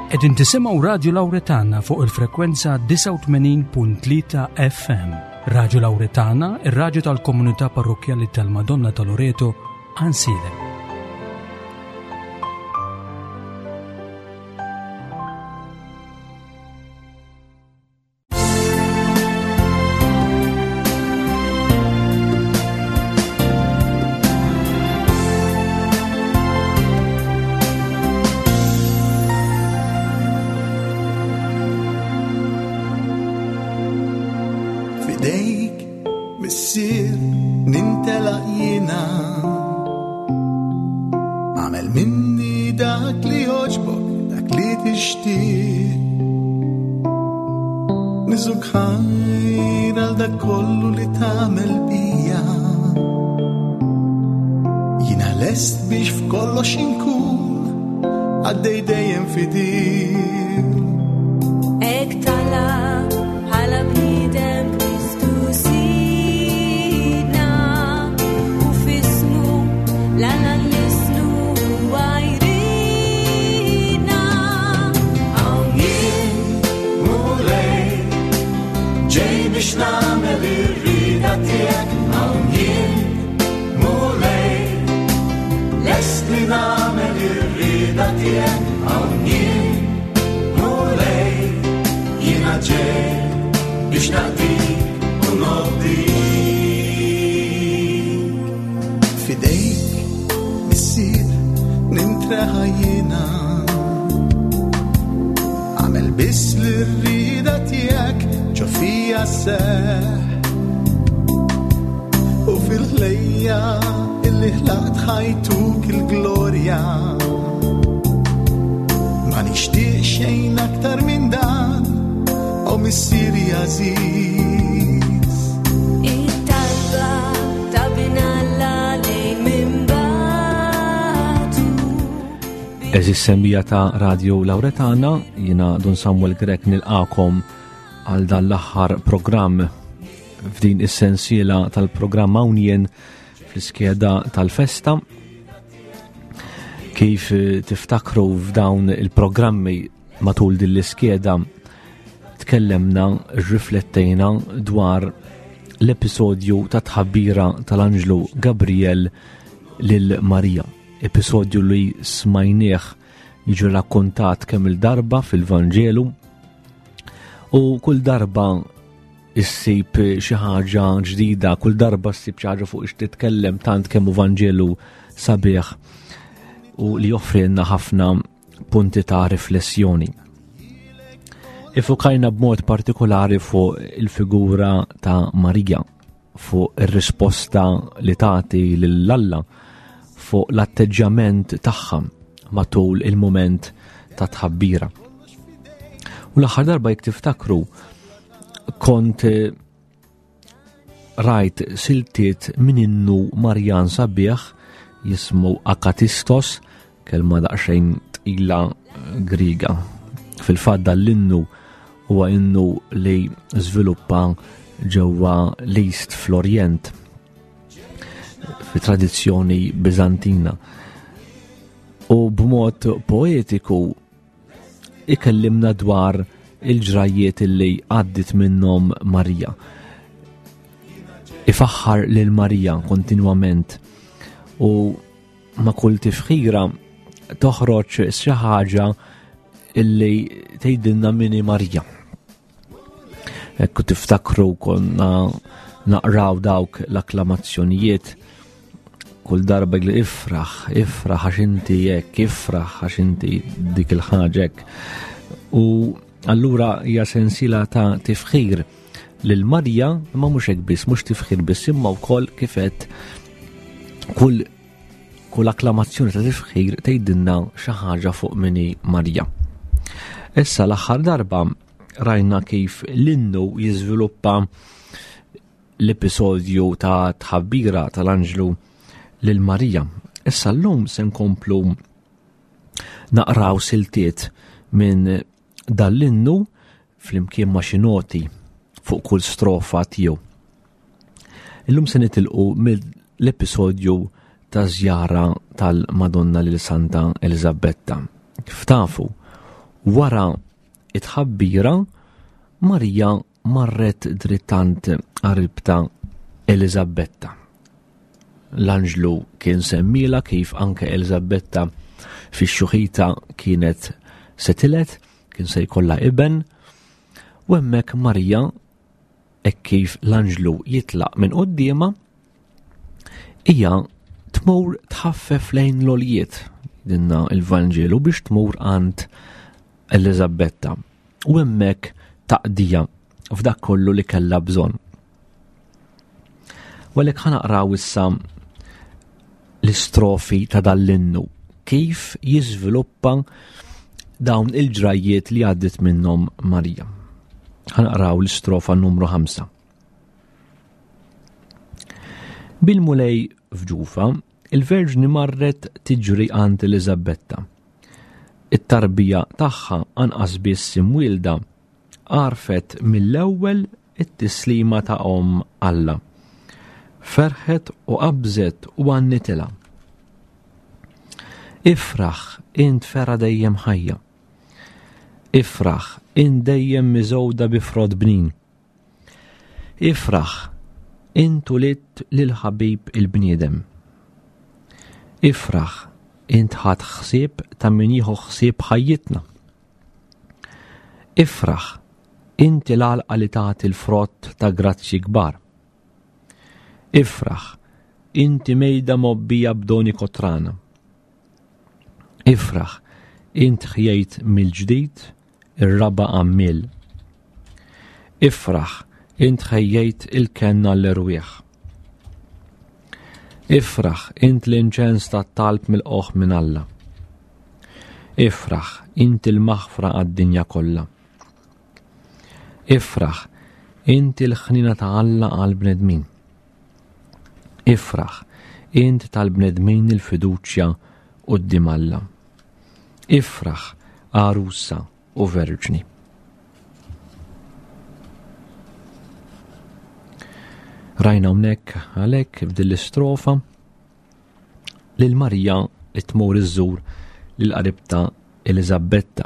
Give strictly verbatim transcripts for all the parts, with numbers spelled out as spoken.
Qegħdin tisimgħu Radio Lauretana fuq il-frekwenza disgħa u tmenin punt tlieta F M. Radio Lauretana, ir-radju tal-Komunità Parrokkjali tal-Madonna ta' Loreto, Għajnsielem. Eżis semmija ta' Radio Lauretana, jina Dun Samuel Grech nilqakom għal dan l-aħħar programm f'din is-sensiela tal-programm Hawn Jien fl-iskeda tal-festa. Kif tiftakru f'dawn il-programmi matul din l-iskeda tkellemna, rriflettejna dwar l-episodju ta' tħabbira tal-Anġlu Gabriel lil Marija. Episodju li smajnieh jiġi rakkontat kemm il-darba fil-Vanġelu u kull darba issib xi ħaġa ġdida, kull darba ssib xi ħaġa fuq ix titkellem, tant kemm hu Vanġelu sabiħ u li joffrilna ħafna punti ta' riflessjoni. Ifukajna b'mod partikolari fuq il-figura ta' Marija, fuq ir-risposta li tagħti lil Alla, fuq l-atteġġjament tagħha matul il-mument ta' tħabbira. U l-aħħar darba jekk tiftakru kont rajt siltiet minn innu Marjan sabiħ jismu Akatistos, kelma daqsxejn tqila Griega. Fil-fatt dan l-innu huwa innu li żviluppa ġewwa l-East fl-Orjent fi tradizzjoni Bizantina. U b'mod poetiku ikellimna dwar il-ġrajiet li għaddit minnhom Marija. Ifaħħar lil Marija kontinwament u ma' kull tifħira toħroġ xi ħaġa illi tgħidilna min hi Marija. Ekku tiftakru konna naqraw dawk l-akklamazzjonijiet kull darba li ifraħ, ifraħ għax inti hekk, ifraħ għax inti dik il-ħaġa hekk. U allura hija sensiela ta' tifħir lil Marija, imma mhux hekk biss, mhux tifħir biss, imma wkoll kif qed kull, kull akklamazzjoni ta' tifħir tgħidilna xi ħaġa fuq min hi Marija. Issa l-aħħar darba rajna kif l-innu jiżviluppa l-episodju ta' tħabbira tal-Anġlu lil Marija. Issa llum se nkomplu naqraw siltiet minn dal-innu flimkien ma' xi noti fuq kull strofa tiegħu. Illum se nitilqu mill-episodju ta' żjara tal-Madonna lil Santa Eliżabetta. Kif tafu, Wara it-tħabbira, Marija marret drittant qaribta Eliżabetta. L-anġlu kien semmila kif anke Eliżabetta fix-xuħita kienet se tiled, kien se jkollha iben, u hemmhekk Marija hekk kif l-anġlu jitlaq minn quddiemha, hija tmur tħaffef lejn l-oljiet dinna il-Vanġelu biex tmur għand Eliżabetta u hemmhekk taqdija f'dak kollu li kellha bżonn. U għalhekk ħa naqraw issa l-istrofi ta' dal-innu kif jiżviluppa dawn il-ġrajjiet li għaddit minnhom Marija. Ħa naqraw l-istrofa numru ħamsa. Bil-Mulej f'ġufa, il-Verġni marret tiġri għand Eliżabetta. It-tarbija tagħha anqas biss imwielda għarfet mill-ewwel it-tislima ta' omm Alla. Ferħet u qabżet u għannitilha. Ifraħ, int fera dejjem ħajja. Ifraħ, int dejjem miżgħuda bi frott bnin. Ifraħ, int ulidt lil ħabib il-bniedem. Ifraħ, int ħadt ħsieb ta' min jieħu ħsieb ħajjitna. Ifraħ, inti l-għalqa li tagħti l-frott ta' grazzji kbar. Ifraħ, inti mejda mobbija b'doni kotrana. Ifraħ, int ħjejt mill-ġdid ir-raba' għammiel. Ifraħ, int ħejjejt il-kenna l-erwieħ. Ifraħ, int l-inċens tat-talb mill-qoħ minn Alla. Ifraħ, int il-maħfra għad-dinja kollha. Ifraħ, int il-ħnina ta' Alla għall-bnedmin. Ifraħ, int tal-bnedmin il-fiduċja quddiem Alla. Ifraħ, għarusa u verġni. Rajna hawnhekk għalhekk f'din l-istrofa lil Marija li tmur iżżur lil qaribta Eliżabetta,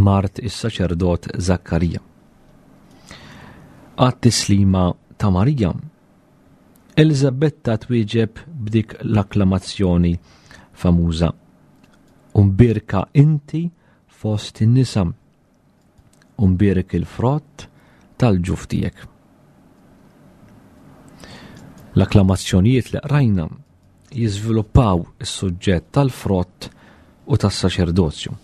mart is-saċerdot Zakkarija. Għat-tislima ta' Marija, Eliżabetta twieġeb b'dik l-akklamazzjoni famuża: Umbirka inti fost in-nisa, umbirek il-frott tal-ġuf tiegħek. L-akklamazzjonijiet li qrajna jiżviluppaw is-suġġett tal-frott u tas-saċerdozju.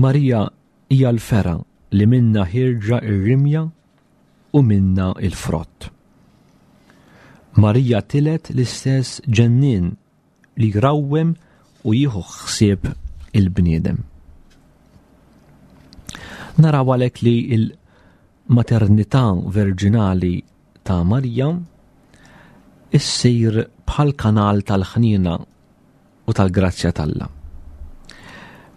Marija hija l-fera li minna ħirġa ir-rimja u minna il-frott. Marija tilet l-istess ġennien li jrawwem u jieħu ħsieb il-bniedem. Naraw għalhekk li l-maternità verġinali ta' Marija issir bħal kanal tal-ħniena u tal-grazzja t'Alla.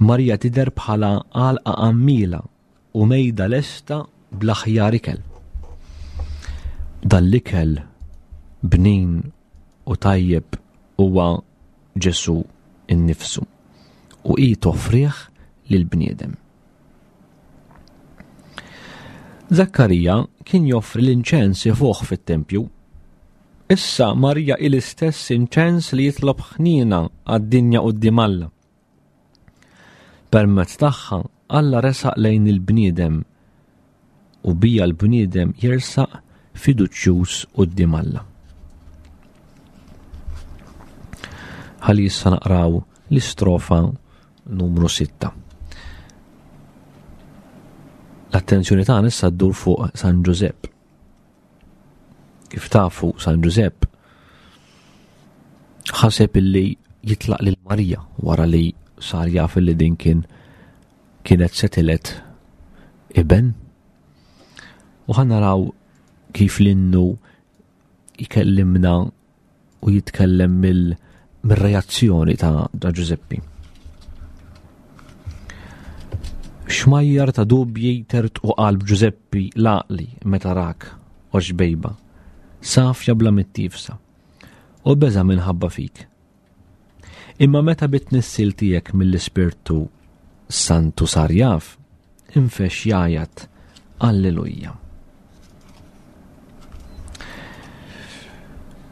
Marija tidher bħala għalqa għammiela u mejda lesta bl-aħjar ikel. Dan l-ikel bnin u tajjeb huwa Ġesù innifsu u hi toffrih lill-bniedem. Zakkarija kien joffri l-inċens ifuħ fit-tempju. Issa Marija hi l-istess inċens li jitlob ħniena għad-dinja quddiem Alla. Permezz tagħha Alla resaq lejn il-bniedem u bija l-bniedem jersaq fiduċjuż quddiem Alla. Ħalli issa naqraw l-istrofa numru sitta. L-attenzjoni tagħna issa ddur fuq San Ġużepp. Kif tafu, San Ġużepp ħaseb illi jitlaq lil Marija wara li sar jaf illi din kien kienet se tiled iben. U ħa naraw kif l-innu jkellimna u jitkellem mill mir-reazzjoni ta' Ġużeppi. Xmajjar ta' dubji tertqu qalb Ġużeppi l-għaqli meta rak o xbejba, safja bla mittifsa, u beża' minħabba fik. Imma meta bit-tnissil tiegħek mill-Ispirtu Santu sar jaf, infexx jgħajjat Alleluja.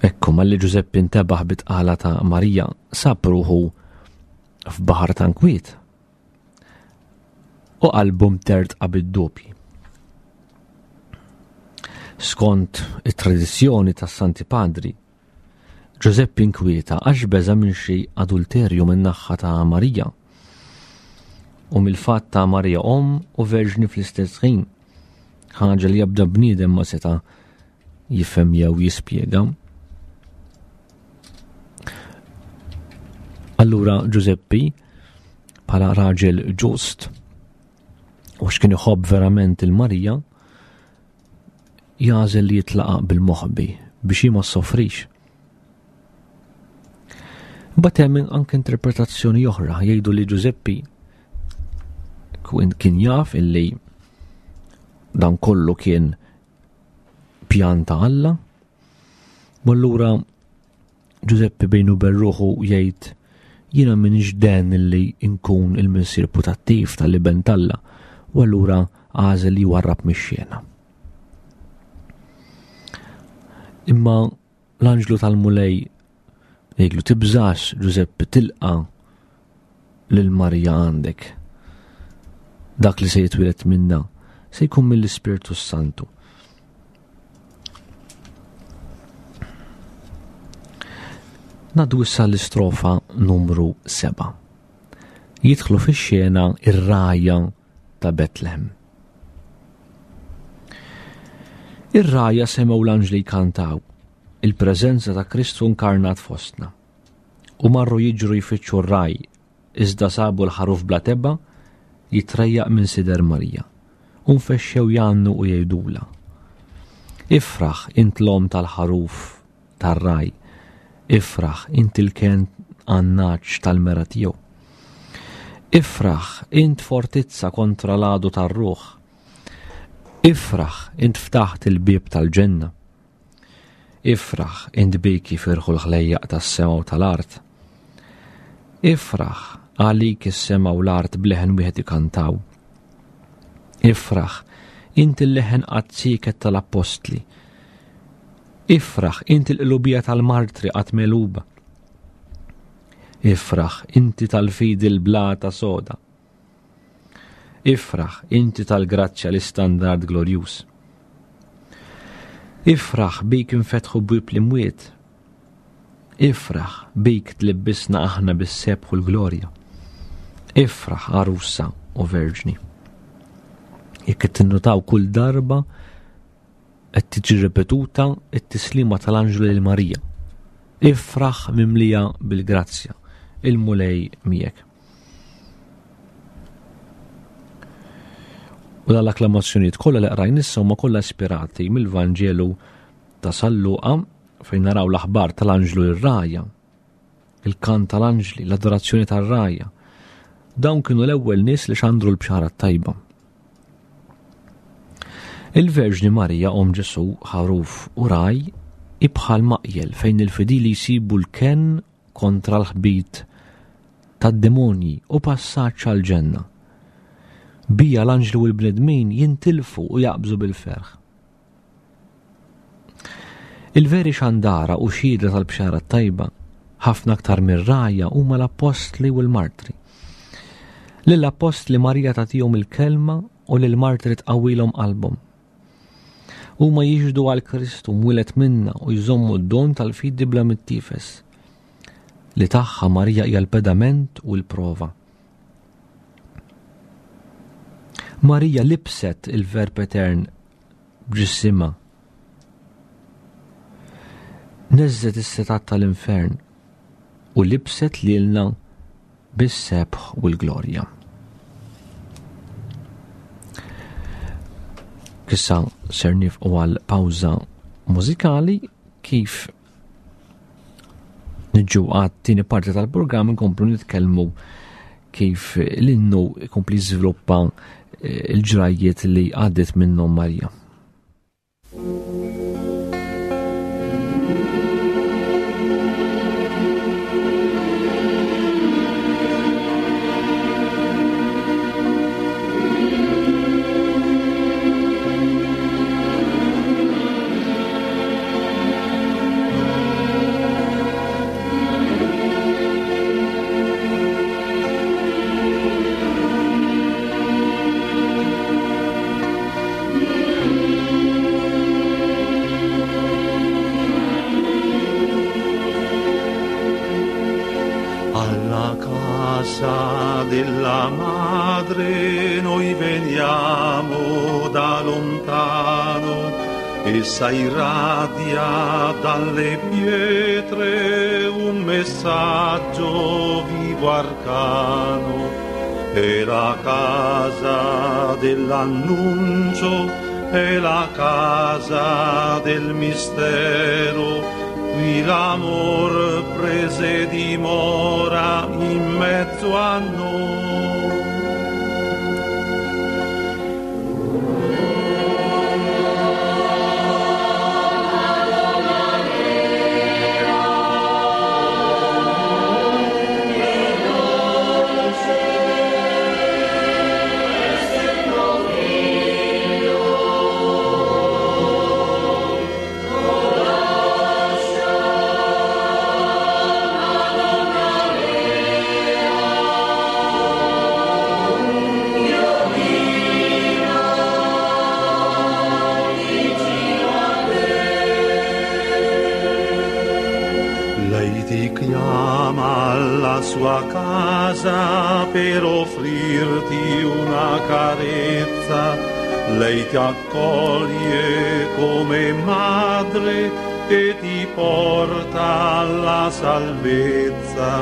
Ekku, malli Ġużeppi ntebaħ bit-tqala ta' Marija, sab ruħu f'baħar ta' nkwiet u qalbu mtertqa bid-dubji. Skont it-tradizzjoni tas-Santi Padri, Ġużeppi nkwieta għax beża' minn xi adulterju min-naħa ta' Marija u mill-fatt ta' Marija omm u verġni fl-istess ħin, ħaġa li ebda bniedem ma seta' jifhem jew jispjega. Allura Ġużeppi, bħala raġel ġust u x'kien iħobb verament il-Marija, jagħżel li jitlaqa bil-moħbi biex hi ma ssofrix. Imbagħad hemm anke interpretazzjoni oħra, jgħidu li Ġużeppi kien jaf illi dan kollu kien pjan ta' Alla, u allura Ġużeppi bejnu bejn ruħu jgħid jiena m'iniex den illi nkun il-missier putattiv tal-iben t'Alla, u allura għażel li jwarrab mix-xena. Imma l-anġlu tal-Mulej jgħidlu tibżax Ġużeppi, tilqa lil Marija għandek. Dak li se jitwieled minna se jkun mill-Ispirtu Santu. Ngħaddu issa l-istrofa numru seba'. Jidħlu fix-xena ir-rgħajja ta' Betlehem. Ir-rgħajja semgħu l-anġli jkantaw il-preżenza ta' Kristu inkarnat fostna u marru jiġru jfittxu r-raj, iżda sabu l-ħaruf bla tebgħa jitrejjaq minn sider Marija u nfexxew jgħannu u jgħidula: Ifraħ int l-omm tal-ħaruf tar-raj, ifraħ int il-ken għannaċ tal-mera tiegħu. Ifraħ int fortizza kontra l-għadu tar-ruħ. Ifraħ int ftaħt il-bieb tal-ġenna. Ifraħ int biki firħu l-ħlejjaq tas-sema u tal-art. Ifraħ għalik is-sema u l-art bleħen wieħed ikantaw. Ifraħ int il-leħen qatt sieket tal-appostli. Ifraħ int il-qlubija tal-martri qatt megħluba. Ifraħ inti tal-fidi l-blata soda. Ifraħ inti tal-grazzja l-istandard glorjuż. Ifraħ bik infetħu bwieb l-imwiet. Ifraħ bik tlibbisna aħna bis-sebħ u l-glorja. Ifraħ għarusa u verġni. Jekk qed tinnutaw kull darba qed tiġi ripetuta t-tislima tal-anġlu lil Marija. Ifraħ mimlija bil-grazzja, il-Mulej miegħek. U dal-akklamazzjonijiet kollha li qrajn issa huma kollha ispirati mill-Vanġelu ta' San Luqa fejn naraw l-aħbar tal-anġlu lir-rgħajja, il-kant tal-anġli, l-adorazzjoni tar-rgħajja. Dawn kienu l-ewwel nies li xandru l-bxara t-tajba. Il-Verġni Marija omm Ġesù ħaruf u raj ibħal maqjel fejn il-fidili jsibu l-kenn kontra l-ħbit tad-demonji u passaġġ għall-ġenna. Bija l-anġli u l-bnedmin jintilfu u jaqbżu bil-ferħ. Il-veri xandara u xhieda tal-bxara t-tajba, ħafna aktar mir-rgħajja, huma l-appostli u l-martri. Lill-appostli Marija tagħtihom il-kelma u lill-martri tqawwilhom qalbhom. Huma jixhdu għal Kristu mwieled minna u jżommu d-don tal-fidi bla mittifes, li tagħha Marija hija l-pedament u l-prova. Marija libset il-Verb Etern b'ġisimha. Neżżet is-setat tal-infern u libset lilna bis-sebħ u l-glorja. Issa ser nifqu għal pawża mużikali kif niġu għat-tieni parti tal-programm nkomplu nitkellmu kif l-innu jkompli jiżviluppa il-ġrajjiet li għaddiet minnhom Marija. Alla casa della madre noi veniamo da lontano, essa irradia dalle pietre un messaggio vivo arcano. È la casa dell'annuncio, è la casa del mistero, qui l'amor prese dimora in mezzo a noi. Sua casa per offrirti una carezza, lei ti accoglie come madre e ti porta alla salvezza.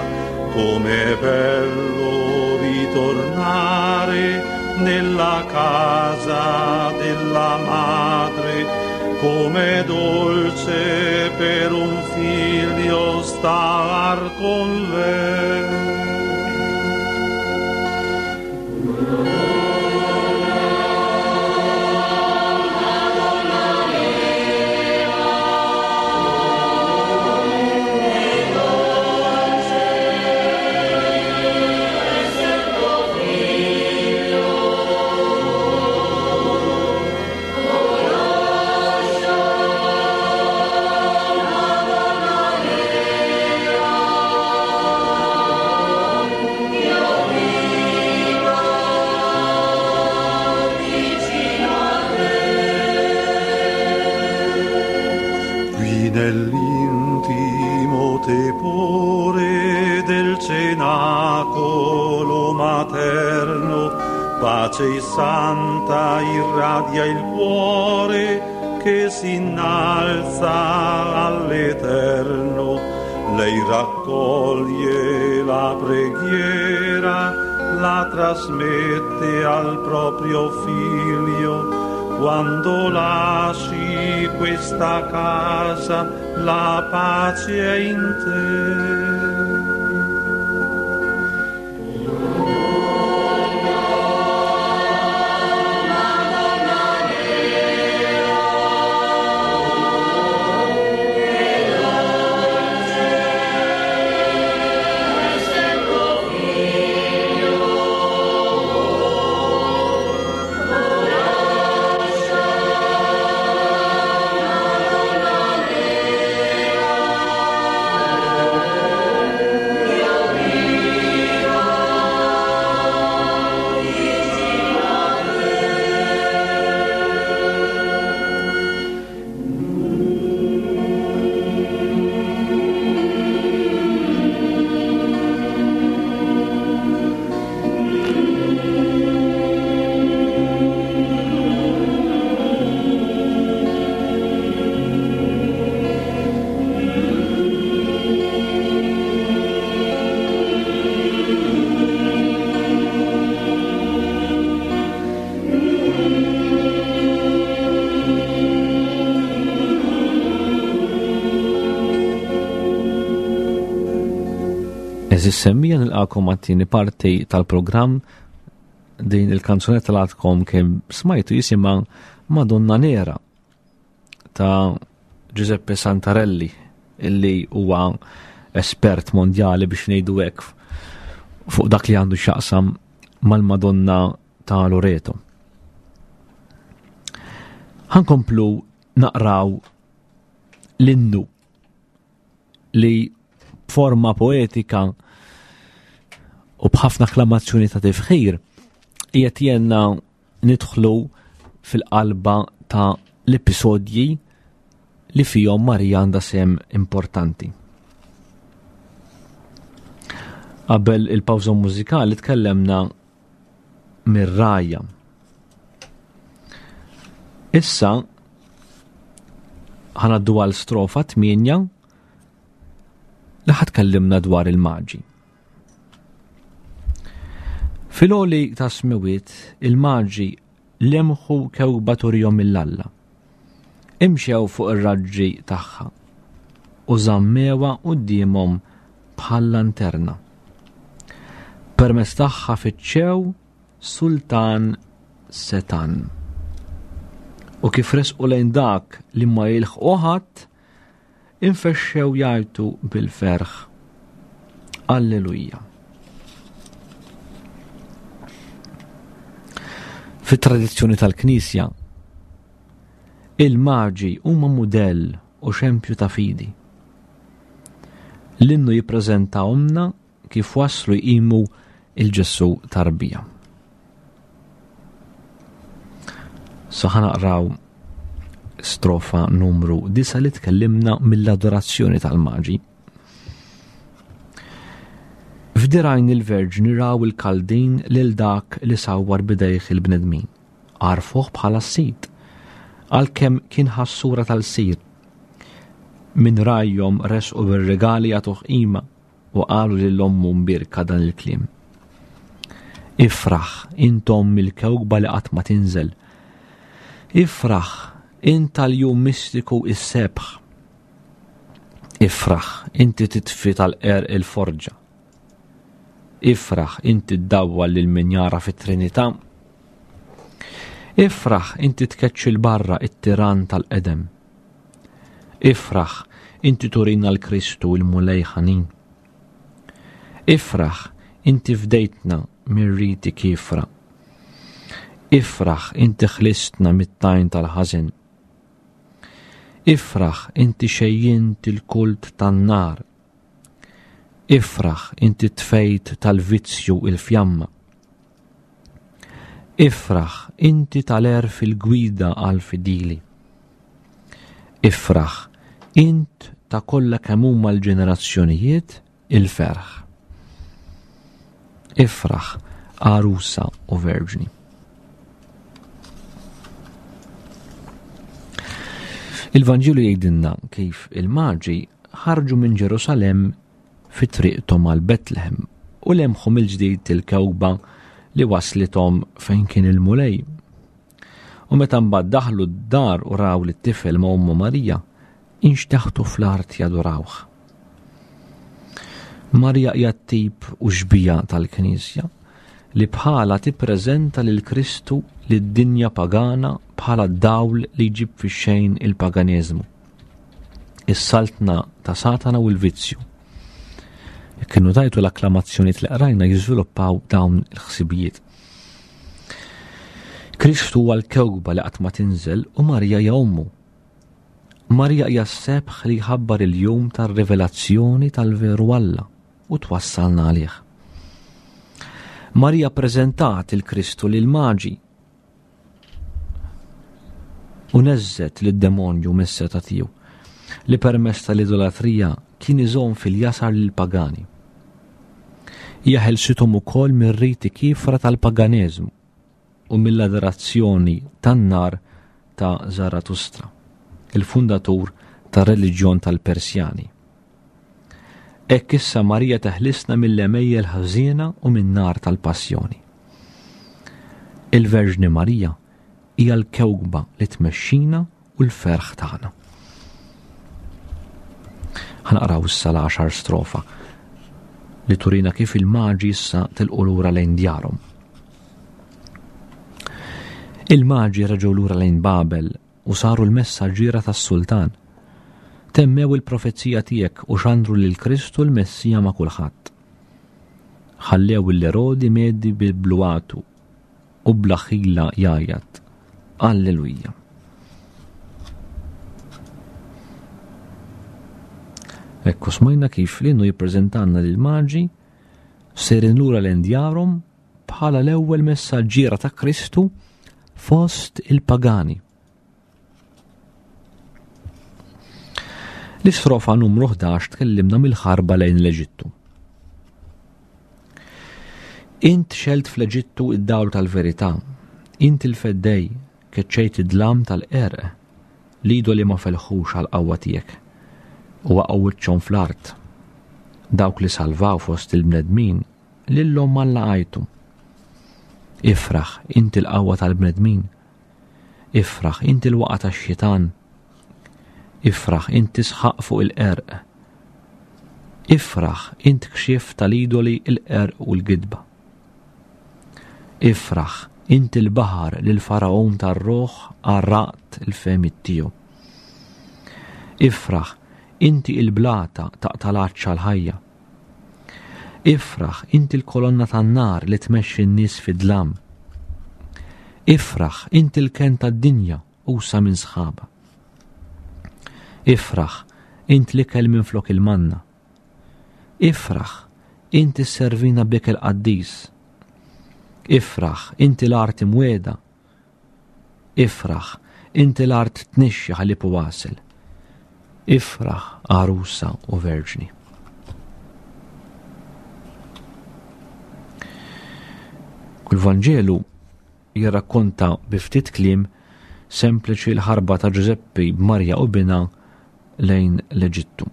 Com'è bello ritornare nella casa della madre, com'è dolce per un figlio star con lei. Nell'intimo tepore del cenacolo materno, pace santa irradia il cuore che si innalza all'eterno. Lei raccoglie la preghiera, la trasmette al proprio figlio. Quando lasci questa casa, la pace è in te. Għeżież semmiegħa, nilqagħkom għat-tieni parti tal-programm. Din il-kanzunetta li għadkom kemm smajtu jisimha Madonna Nera ta' Giuseppe Santarelli, illi huwa espert mondjali biex ngħidu hekk fuq dak li għandu x'jaqsam mal-Madonna ta' Loreto. Ħa nkomplu naqraw l-innu li b'forma poetika u b'ħafna akklamazzjoni ta' tifħir qiegħed jgħinna nidħlu fil-qalba ta' l-episodji li fihom Marija għandha sehem importanti. Qabel il-pawża mużikali tkellemna mir-rajja. Issa ħa ngħaddu għal strofa tmienja li ħa tkellimna dwar il-maġi. Fil-għoli ta' smewiet il-maġi lemħu kewkba turihom mill-Alla. Imxew fuq ir-raġġi tagħha u żammewha quddiemhom bħal lanterna. Permezz tagħha fittxew sultan setan. U kif resqu lejn dak li ma jilħqu ħadd, infexxew jgħajtu bil-ferħ. Alleluja. Fit-tradizzjoni tal-Knisja, il-maġi huma mudell u xempju ta' fidi. L-innu jippreżentahomna kif waslu jqimu il-Ġesù tarbija. So ħa naqraw strofa numru disa li tkellimna mill-adorazzjoni tal-maġi. F'dirajn il-Verġni raw il-Kaldin lil dak li sawwar bidejh il-bnedmin. Għarfuh bħala s-sid, għalkemm kien ħassura tal-sir. Min rajhom resqu bir-regali jagħtuh qima u qalu lil ommu mbierka dan il-kliem. Ifraħ intom mill-kewkba li qatt ma tinżel. Ifraħ int tal-jum mistiku is-sebħ. Ifraħ inti titfi tal-qerq il-forġa. Ifraħ inti ddawwal lil min jara fit-Trinità. Ifraħ inti tkeċċi 'l barra it-tiran tal-qedem. Ifraħ inti turina l-Kristu il-Mulej ħanin. Ifraħ inti fdejtna mir-riti kifra. Ifraħ inti ħlistna mit-tajn tal-ħażen. Ifraħ inti xejjint il-kult tan-nar. Ifraħ inti tfejt tal-vizzju il-fjamma. Ifraħ inti tal-għerf il-gwida għal-fidili. Ifraħ int ta' kollha kemm huma l-ġenerazzjonijiet il-ferħ. Ifraħ għarusa u verġni. Il-Vanġelu jgħidilna kif il-maġi ħarġu minn Ġerusalemm fi triqthom għal Betlehem u lemħu mill-ġdid il-kewkba li waslithom fejn kien il-Mulej. U meta mbagħad daħlu d-dar u raw lit-tifel ma' ommu Marija, inxteħtu fl-art jadurawh. Marija hija t-tip u xbija tal-Knisja li bħala tippreżenta lil Kristu lid-dinja pagana bħala dawl li jġib fix-xejn il-paganiżmu, is-saltna ta' Satana u l-vizzju. Jekk kienu tajtu l-akklamazzjonijiet li qrajna jiżviluppaw dawn il-ħsibijiet. Kristu huwa l-kewkba li qatt ma tinżel u Marija hija ommu. Marija hija s-sebħ li jħabbar il-jum tar-rivelazzjoni tal-veru Alla u twassalna għalih. Marija ppreżentat il-Kristu lil maġi u neżżet lid-demonju mis-seta tiegħu li permezz tal-idolatrija kien iżomm fil-jasar lill-pagani. Hija ħelsithom ukoll mir-riti kifra tal-paganiżmu u mill-adorazzjoni tan-nar ta' Zaratustra, il-fundatur tar-reliġjon tal-Persjani. Hekk issa Marija teħlisna mill-għemejjel ħażiena u min-nar tal-passjoni. Il-Verġni Marija hija l-kewkba li tmexxina u l-ferħ tagħna. Ħa naqraw issa l-għaxar strofa li turina kif il-maġi issa tilqu lura lejn djarhom. Il-maġi reġgħu lura lejn Babel u saru l-messaġġiera tas-sultan. Temmew il-profezija tiegħek u xandru lil Kristu l-Messija ma' kulħadd. Ħallew l-Erodi meddi bil-bluatu u bla ħila jgħajjat. Alleluja. Ekku smajna kif l-innu jippreżentanna lil maġi sejrin lura lejn djarhom bħala l-ewwel messaġġiera ta' Kristu fost il-pagani. L-istrofa numru ħdax tkellimna mill-ħarba lejn l-Eġittu. Int xelt fl-Eġittu id-dawl tal-verità, int il-feddej, keċċejt id-dlam tal-qerq, l-idoli ma felħux għall-qawwa tiegħek u waqgħu wiċċhom fl-art. Dawk li salvaw fost il-bnedmin lilhom Alla għajtu. Ifraħ, inti l-qawwa tal-bnedmin. Ifraħ, inti l-waqa tax-xitan. Ifraħ, inti sħaq fuq il-qerq. Ifraħ, int kxif tal-idoli, il-qerq u l-gidba. Ifraħ, inti l-baħar li l-faraon tar-ruħ għarraqt il-fehmiet tiegħu. Ifraħ, inti il-blata taqta' l-għatx għall-ħajja. Ifraħ, inti l-kolonna tan-nar li tmexxi n-nies fid-dlam. Ifraħ, inti l-kenn tad-dinja usa minn sħaba. Ifraħ, int l-ikel minn flok il-manna. Ifraħ, inti sservina b'ikel qaddis. Ifraħ, inti l-art imwiegħda. Ifraħ, inti l-art tnixxi ħalib u għasel. Ifraħ, għarusa u verġni. Kull Vanġelu jirrakkonta bi ftit kliem sempliċi l-ħarba ta' Ġużeppi b'Marja u binha lejn l-Eġittu.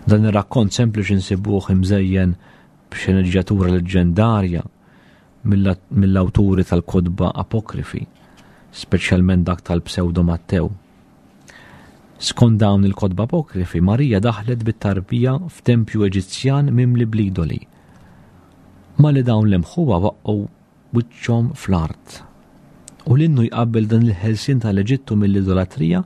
Dan ir-rakkont sempliċi nsibuh imżejjen b'xeneġġjatura leġġendarja mill-awturi tal-kotba apokrifi, speċjalment dak tal-Pseudo Mattew. Skont dawn il-kotba apokrifi, Marija daħlet bit-tarbija f'tempju Eġizzjan mimli bl-idoli. Ma li dawn lemħuha waqqgħu wiċċhom fl-art. U l-innu jqabbel dan il-ħelsien tal-Eġittu mill-idolatrija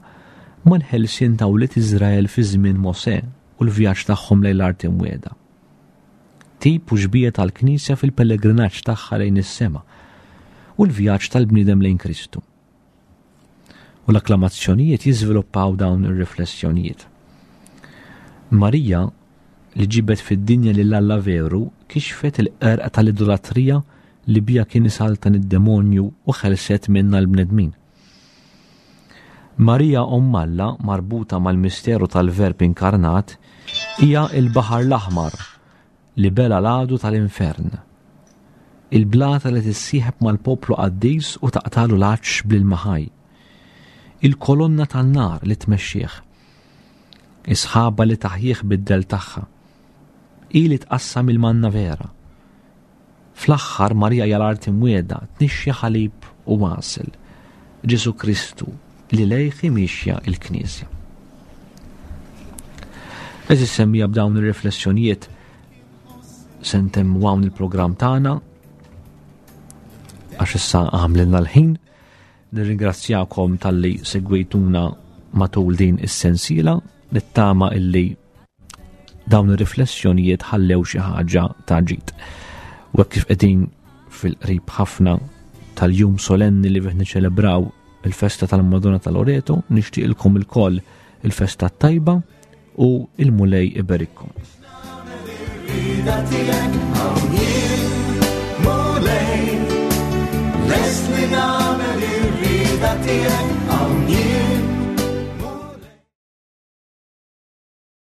mal-ħelsien ta' wlied Iżrael fi żmien Mosè u l-vjaġġ tagħhom lejn l-art imwiegħda. Tip u xbieha tal-Knisja fil-pellegrinaġġ tagħha lejn is-sema u l-vjaġġ tal-bniedem lejn Kristu. U l-akklamazzjonijiet jiżviluppaw dawn ir-riflessjonijiet. Marija, li ġibet fid-dinja lil Alla veru, kixfet il-qerq tal-idolatrija li bija kien isaltan id-demonju u ħelset minna l-bnedmin. Marija Omm Alla, marbuta mal-misteru tal-Verb inkarnat, hija il-Baħar l-Aħmar li bela l-għadu tal-infern. Il-blata li tissieħeb mal-poplu qaddis u taqtalu l-għatx bl-ilma ħaj. Il-kolonna tan-nar li tmexxih. Is-sħaba li taħjih bid-del tagħha. Hi li tqassam il-manna vera. Fl-aħħar Marija hija l-art imwiegħda, tnixxi ħalib u għasel. Ġesu Kristu li lejh mixja il-Knisja. Eżis semmija b'dawn ir-riflessjonijiet se ntemmu hawn il-programm tagħna għax issa għamlilna l-ħin. Nirringrazzjakom talli segwejtuna matul din is-sensiela, nittama illi dawn ir-riflessjonijiet ħallew xi ħaġa ta' ġid. U hekk kif qegħdin fil-qrib ħafna tal-jum solenni li fih niċċelebraw il-festa tal-Madonna ta' Loreto, nixtieqilkom ilkoll il-festa tajba u il-Mulej iberikkom. Lest li nagħmel ir-rieda tiegħek.